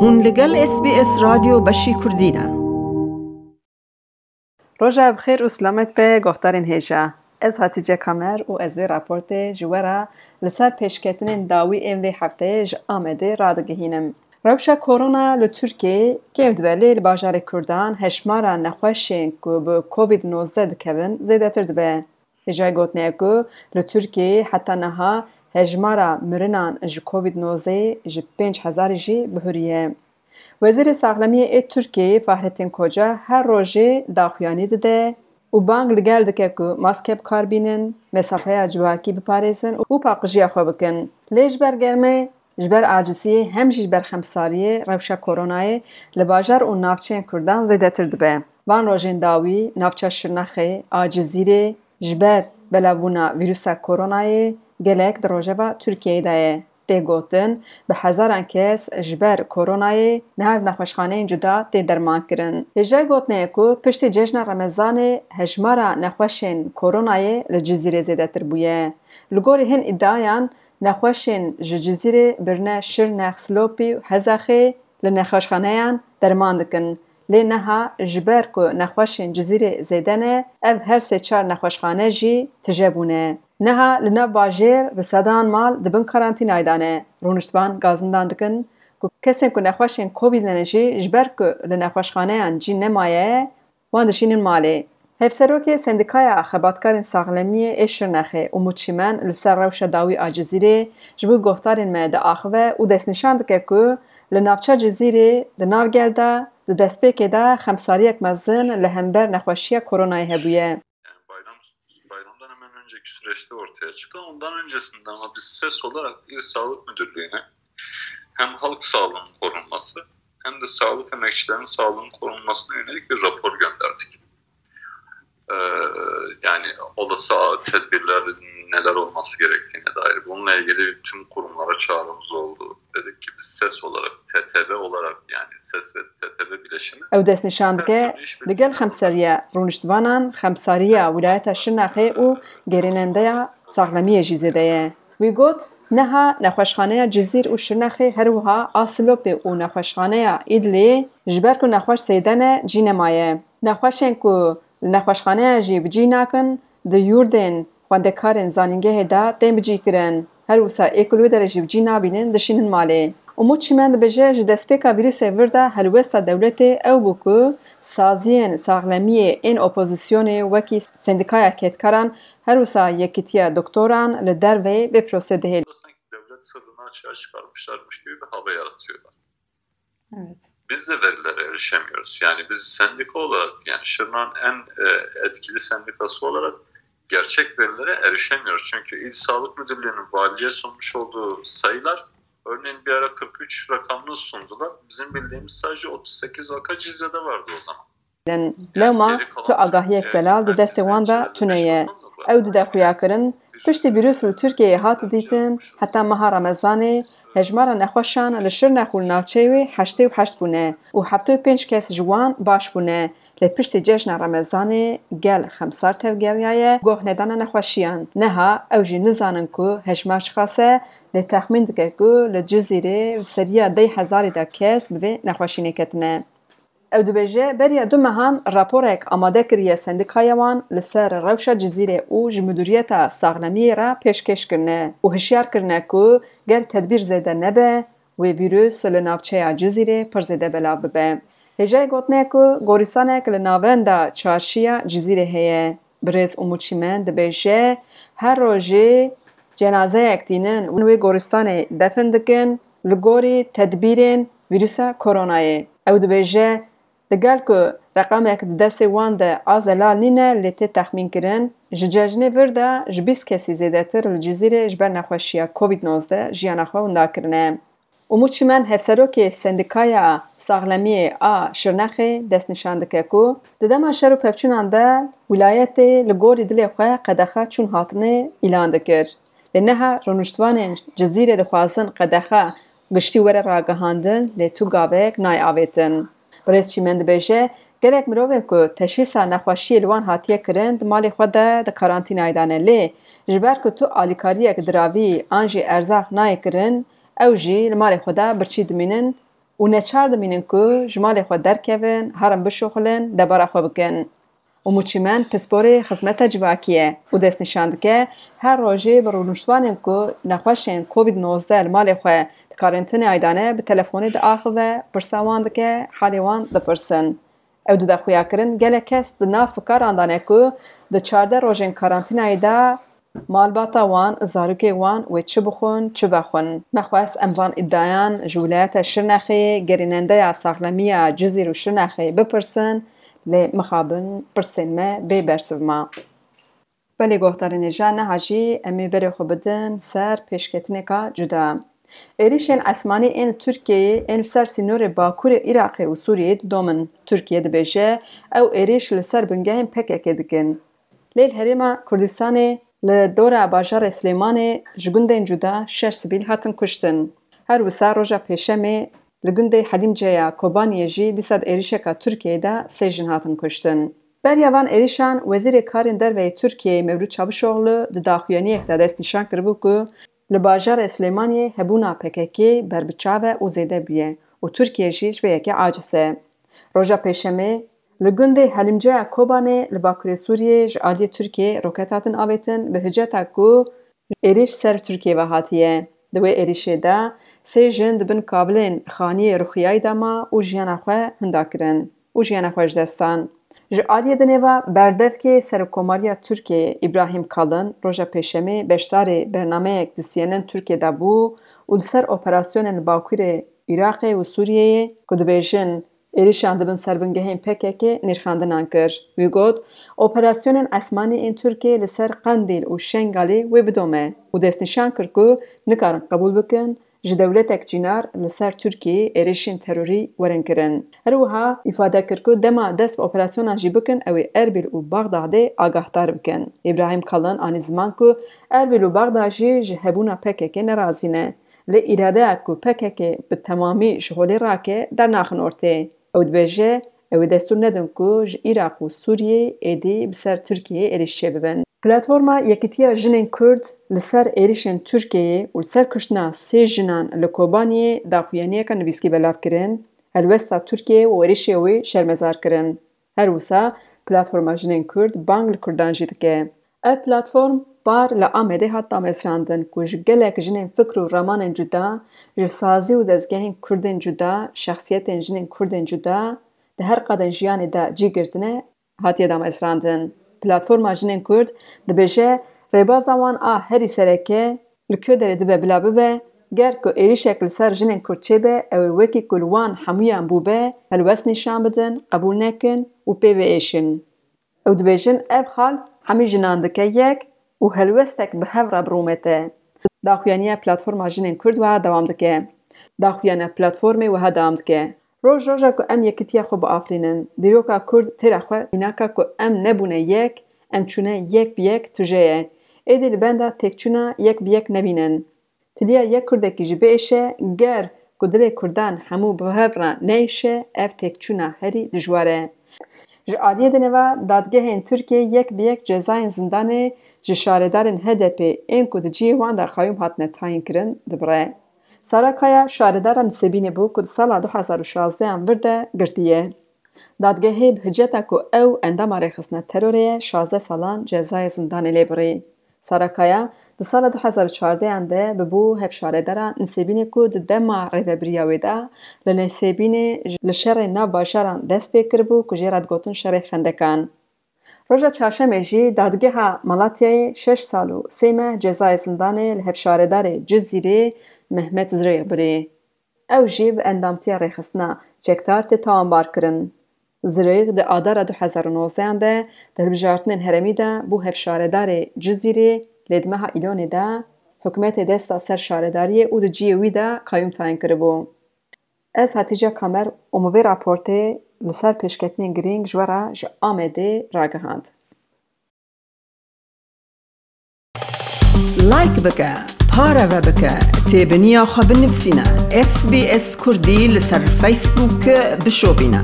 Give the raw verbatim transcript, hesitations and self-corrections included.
Hûn li gel S B S Radyo Beşî Kurdî ne. Roja bi xêr û silamet be guhdarên hêja. Ez Hatîce Kamer û ez vê raportê ji we re li ser pêşketinên dawî ên vê hefteyê ji Amedê radigihînim. Rewşa korona li Tirkiyeyê kêm dibe lê li bajarê Kurdan hejmara nexweşên ku bi Covid nozdeh dikevin zêdetir dibe. Hêjayî gotinê ye ku li Tirkiyeyê heta niha hejmara mirinan ji Covid nozdeh ji pênc hezarî jî bihuriye. Wezîrê Saxlemiyê ê Tirkiyeyê Fahrettin Koca her rojê daxuyanî dide û bang li gel dike ku maske bi kar bînin, mesafeya civakî biparêzin û paqijiya xwe bikin. Lê ji ber germê, ji ber aciziyê hem jî ji ber xemsariyê rewşa koronayê li bajar û navçeyên Kurdan zêdetir dibe. Van rojên dawî navça Şirnexê a Cizîrê ji ber belavbûna vîrusa koronayê gelek di rojeva Tirkiyeyê de ye. Tê gotin, bi hezaran kes ji ber koronayê niha li nexweşxaneyên cuda tê dermankirin. Hêjayî gotinê ye ku piştî cejna Remezanê hejmara nexweşên koronayê li Cizîrê zêdetir bûye. Li gorî hin îdiayan, nexweşên ji Cizîrê birine Şirnex, Silopî û Hezexê li nexweşxaneyan derman dikin. Lê niha ji ber ku nexweşên Cizîrê zêde ne, ev her sê çar nexweşxane jî tije bûne. Niha li nav bajêr bi sedan mal di bin karantînayê de ne. Rûniştvan gazindan dikin ku kesên ku nexweşên Covid ne jî ji ber ku li nexweşxaneyan cî nemaye, wan dişînin malê. Hevserokê Sendîkaya Xebatkarên Saxlemiyê ê Şirnexê Umut Çimen li ser rewşa dawî a Cizîrê ji bo guhdarên me diaxive û destnîşan dike ku li navça Cizîrê di nav gel de di destpêkê de xemsariyek mezin li hember nexweşiya koronayê hebûye. Yani bayram bayramdan hemen önceki süreçte ortaya çıkan, ondan öncesinde ama biz ses olarak İl Sağlık Müdürlüğü'ne hem halk sağlığının korunması hem de sağlık emekçilerinin sağlığının korunmasına yönelik bir rapor gönderdik. Ee, yani olası tedbirler neler olması gerektiğine dair. Bununla ilgili tüm kurumlara çağrımız oldu. Dedik ki biz ses olarak, T T B olarak yani ses ve T T B bileşimi. Ew destnîşan dike, digel xemseriya rûniştvanan, xemsariya wîlayeta Şirnexê û gerînendeya saxlemiyê jî zêde ye. Wî got, niha nexweşxaneya Cizîr û Şirnexê her wiha a Silopê û nexweşxaneya Îdlê ji ber ku nexweş zêde ne, cî nemaye. Nexweşên ku li nexweşxaneyan jî bi cî nakin, di yurdên xwendekarên zanîngehê de tên bicîkirin. Her wisa ê ku li wê derê jî bi cî nabînin, dişînin malê. Umut Çimen dibêje, ji destpêka vîrusê vir de helwesta dewletê ew bû ku saziyên saxlemiyê ên opozisyonê wekî Sendîkaya Kedkaran, her wisa Yekîtiya Doktoran li derveyê vê prosesê dihêlin. Sanki devlet sırrını açığa çıkarmışlarmış gibi bir hava yaratıyorlar. Evet. Biz de verilere erişemiyoruz. Yani biz sendika olarak, yani Şırnak'ın en e, etkili sendikası olarak gerçek verilere erişemiyoruz. Çünkü İl Sağlık Müdürlüğü'nün valiliğe sunmuş olduğu sayılar, örneğin bir ara kırk üç rakamını sundular. Bizim bildiğimiz sadece otuz sekiz vaka Cizre'de vardı o zaman. Lewma tu agahiyek zelal di destê wan de tune ye. Ew dide xuyakirin, piştî vîrus li Tirkiyeyê hat dîtin, heta meha Remezanê hejmara nexweşan li Şirnex û li navçeyê wê heştê û heşt bûne û heftê û pênc kes ji wan baş bûne. Lê piştî cejna Remezanê gel xemsar tevgeriyaye goh nedana nexweşiyan. Niha ew jî nizanin ku hejmar çiqas e, lê texmîn dike ku li Cizîrê bi seriya deh hezarî de kes bi vê nexweşînê ketine. Ew dibêje, beriya du mehan raporek amade kiriye sendîkaya wan li ser rewşa Cizîrê û ji Midûriyeta Saxlemiyê re pêşkêş kirine û hişyar kirine ku ger tedbîr zêde nebe, wê vîrus li navçeya Cizîrê pir zêde belav bibe. Hêjayî gotinê ku gorîstanek li navenda çarşiya Cizîrê heye. Birêz Umut Çimen dibêje, her rojê cenazeyek tînin û wê goristanê defin dikin, li gorî tedbîrên vîrusa koronayê. Ew dibêje, digel ku reqamek di destê wan de a zelal nîne, lê tê texmînkirin, ji cejnê vir de ji bîst kesî zêdetir li Cizîrê ji ber nexweşiya Covid nozdeh jiyana xwe winda kirine. Umut Çimen, hevserokê Sendîkaya Saxlemiyê a Şirnexê, destnîşan dike ku di dema şer û pevçûnan de wîlayetê li gorî dilê xwe qedexe çûn hatinê îlan dikir. Lê niha rûniştvanên Cizîrê dixwazin qedexe giştî were ragihandin, lê tu gavek nayê avêtin. Birêz Çîmen dibêje, gelek mirovên ku teşhîsa nexweşiyê li wan hatiye kirin, di malê xwe de di karantînayê de ne. Lê ji ber ku tu alîkariyek diravî an jî erzaq nayê kirin, ew jî li malê xwe de birçî dimînin û neçar dimînin ku ji malê xwe derkevin, herin bişuxulin, debara xwe bikin. Umut Çîmen pisporê xizmeta civakî ye û destnîşan dike, her rojê bi rûniştvanên ku nexweşên Covid nozdeh li malê xwe di karantînayê de ne, bi telefonê diaxive, pirsa wan dike, halê wan dipirsin. Ew dide xuyakirin, gelek kes di nav fikaran de ne ku di çardeh rojên karantînayê de malbata wan, zarokê wan wê çi bixwin, çi vexwin. Me xwest em van îdiayan ji wîlayeta Şirnexê, gerînendeya saxlemiya Cizîr û Şirnexê bipirsin, lê mixabin pirsên me bê bersiv ma. Belê guhdarên hêja, niha jî em ê berê xwe bidin ser pêşketineka cuda. Êrîşên esmanî ên li Tirkiyeyê ên li ser sînorê bakurê Iraqê û Sûriyeyê didomin. Tirkiye dibêje, ew êrîş li ser bingehên P K K dikin. Lê li Herêma Kurdistanê li dora bajarê Silêmanê ji gundên cuda şeş sivîl hatin kuştin. Her wisa roja Pêşemê li gundê Helîmce ya Kobaniyê jî dîsa di êrîşeka Tirkiyeyê de sê jin hatin kuştin. Beriya van êrîşan Wezîrê Karên Derve yê Tirkiyeyê Mevlût Çavuşoglu di daxuyaniyek de destnîşan kiribû ku li bajarê Silêmaniyê hebûna P K K ber bi çav e û zêde bûye û Tirkiye jî ji vê yekê aciz e. Roja Pêşemê li gundê Helîmceya Kobanê li bakurê Sûriyê ji aliyê Tirkiyê roket hatin avêtin bi hiceta ku êrîş ser Tirkiyê ve hatiye. Di wê êrîşê de sê jin di bin kavilên xaniyê rixuyayî de ma û jiyana xwe hinda kirin û jiyana xwe ji dest dan. Ji aliyê dinê ve berdevkê Serokkomariya Tirkiyeyê Îbrahîm Kalin roja Pêşemê beşdarê bernameyek di C N N Tirkiye de bû û li ser operasyonên li bakurê Iraqê û Sûriyeyê ku dibêjin êrîşan dibin ser bingehên P K K nirxandinan kir. Wî got, operasyonên esmanî ên Tirkiyê li ser Qendîl û Şengalê wê bidome û destnîşan kir ku nikarin qebûl bikin ji dewletek cînar li ser Tirkiyeyê êrîşên terorî werin kirin. Her wiha îfade kir ku dema dest bi operasyonan jî bikin, ew ê Erbîl û Bexdadê agahdar bikin. Îbrahîm Kalin anî ziman ku Erbîl û Bexda jî ji hebûna P K K nerazî ne. Lê îradeya ku P K K bi temamî ji holê rake, dernaxin ortê. Ew dibêje, ew ê destûr nedin ku ji Iraq û Sûriyê êdî bi ser Tirkiyeyê êrîş çêbibin. Platforma Yekîtiya Jinên Kurd li ser êrîşên Tirkiyeyê û li ser kuştina sê jinan li Kobaniyê daxuyaniyeke nivîskî belav kirin, helwesta Tirkiyeyê û êrîşê wî şermezar kirin. Her wisa Platforma Jinên Kurd bang li Kurdan jî dike. Ev platform par li Amedê hat damezrandin ku ji gelek jinên fikr û ramanên cuda, ji sazî û dezgehên Kurdên cuda, şexsiyetên jinên Kurdên cuda di her qadên jiyanê de cî girtine, hatiye damezrandin. Platforma Jinên Kurd dibêje, rêbaza wan a herî sereke li ku derê dibe bila bibe, ger ku êrîşek li ser jinên Kurd çêbe, ew ê wekî ku li wan hemûyan bûbe, helwest nîşan bidin, qebûl nekin û pê biêşin. Ew dibêjin, ev xal hemî jinan dike yek û helwestek bi hev re birûmete. Daxuyaniya Platforma Jinên Kurd wiha dewam dike. Daxuyaniya platformê wiha dewam dike. Roj roja ku em yekitiya xwe biafirînin, dîroka Kurd têra xwe mînaka ku em nebûne yek, em çûne yek bi yek tije ye. Êdî li benda têkçûna yek bi yek nebînin. Tiliya yek Kurdekî jî biêşe, ger ku dilê Kurdan hemû bi hev re neyêşe, ev têkçûna herî dijwar e. Ji aliyê dinê ve dadgehên Tirkiyê yek bi yek cezayên zindanê ji şaredarên H D P ên ku di cihê wan de qayûm hatine tayîn kirin, dibire. Sara Kaya şaredara Nisêbînê bû ku di sala du hezar û şazdehan vir de girtiye. Dadgehê bi hiceta ku ew endama rêxistina terorê ye, şazdeh salan cezayê zindanê lê birî. Sara Kaya di sala du hezar û çardehan de bibû hevşaredara Nisêbînê ku di dema rêvebiriya wê de li Nisêbînê li şerê nav bajaran dest pê kiribû ku jê re digotin şerê xendekan. Roja çarşemê jî dadgeha Malatyayê şeş sal û sê meh cezayê zindanê li hevşaredarê Cizîrê Mehmet Zirêx birî. Ew jî bi endamtiya rêxistina Çekdar tê tawanbarkirin. Zirêx di adara du hezar û nozdehan de di hilbijartinên herêmî de bû hevşaredarê Cizîrê, lê di meha Îlonê de hikûmetê dest da ser şaredariyê û di cihê wî de qayûm tayîn kiribû. Ez Hatîce Kamer û min vê raportê li ser pêşketinên girîng ji we re ji Amedê ragihand. Like bike, pareve bike, têbiniya xwe binivîsîne. S B S Kurdî li ser Facebook bişopîne.